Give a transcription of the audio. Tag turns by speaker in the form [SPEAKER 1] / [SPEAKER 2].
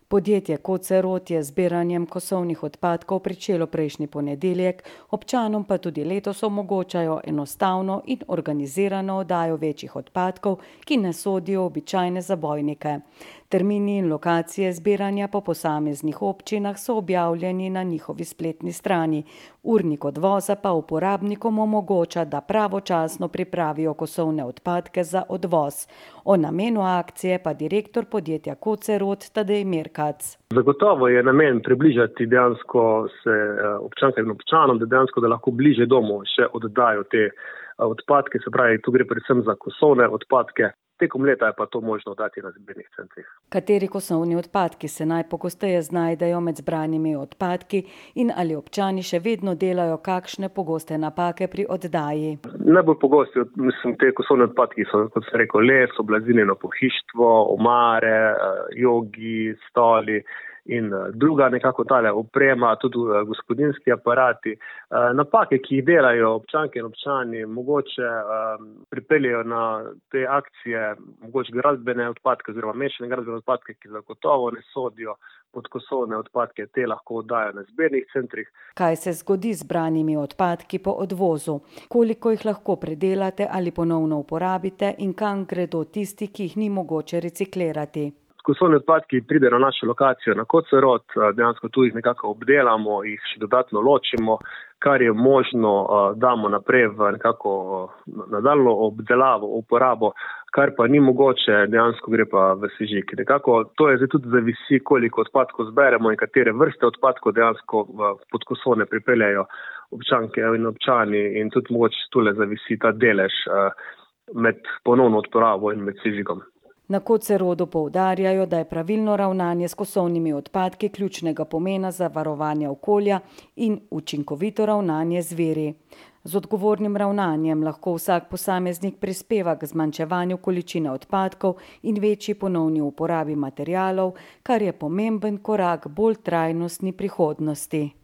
[SPEAKER 1] Podjetje Kocerot je z zbiranjem kosovnih odpadkov pričelo prejšnji ponedeljek, občanom pa tudi letos omogočajo enostavno in organizirano oddajo večjih odpadkov, ki ne sodijo v običajne zabojnike. Termini in lokacije zbiranja po posameznih občinah so objavljeni na njihovi spletni strani. Urnik odvoza pa uporabnikom omogoča, da pravočasno pripravijo kosovne odpadke za odvoz. O namenu akcije pa direktor podjetja Kocerot Tadej Mirkac.
[SPEAKER 2] Zagotovo je namen približati dejansko se občankam in občanom, da lahko bliže domu še oddajo te odpadke, se pravi, tu gre predvsem za kosovne odpadke. Tekom leta je pa to možno oddati na zbirnih centrih.
[SPEAKER 1] Kateri kosovni odpadki se najpogosteje znajdejo med zbranimi odpadki in ali občani še vedno delajo kakšne pogoste napake pri oddaji?
[SPEAKER 2] Najbolj pogosti te kosovne odpadki so, kot sem rekel, les, oblazinjeno pohištvo, omare, jogi, stoli in druga nekako tale oprema, tudi gospodinjski aparati. Napake, ki jih delajo občanke in občani, mogoče pripeljejo na te akcije, mogoče gradbene odpadke oziroma mešane gradbene odpadke, ki zagotovo ne sodijo pod kosovne odpadke, te lahko oddajo na zbirnih centrih.
[SPEAKER 1] Kaj se zgodi z zbranimi odpadki po odvozu? Koliko jih lahko predelate ali ponovno uporabite in kam gredo tisti, ki jih ni mogoče reciklirati?
[SPEAKER 2] Kosovni odpadki pridejo na našo lokacijo na Kocerot, dejansko tu jih nekako obdelamo, jih še dodatno ločimo, kar je možno, damo naprej v nekako nadaljnjo obdelavo, uporabo, kar pa ni mogoče, dejansko gre pa v sežig. Nekako to je zdaj tudi zavisi, koliko odpadkov zberemo in katere vrste odpadkov dejansko pod kosovne pripeljajo občanke in občani in tudi mogoče tule zavisi ta delež med ponovno uporabo in med sežigom.
[SPEAKER 1] Na Kocerodu poudarjajo, da je pravilno ravnanje s kosovnimi odpadki ključnega pomena za varovanje okolja in učinkovito ravnanje z viri. Z odgovornim ravnanjem lahko vsak posameznik prispeva k zmanjševanju količine odpadkov in večji ponovni uporabi materialov, kar je pomemben korak bolj trajnostni prihodnosti.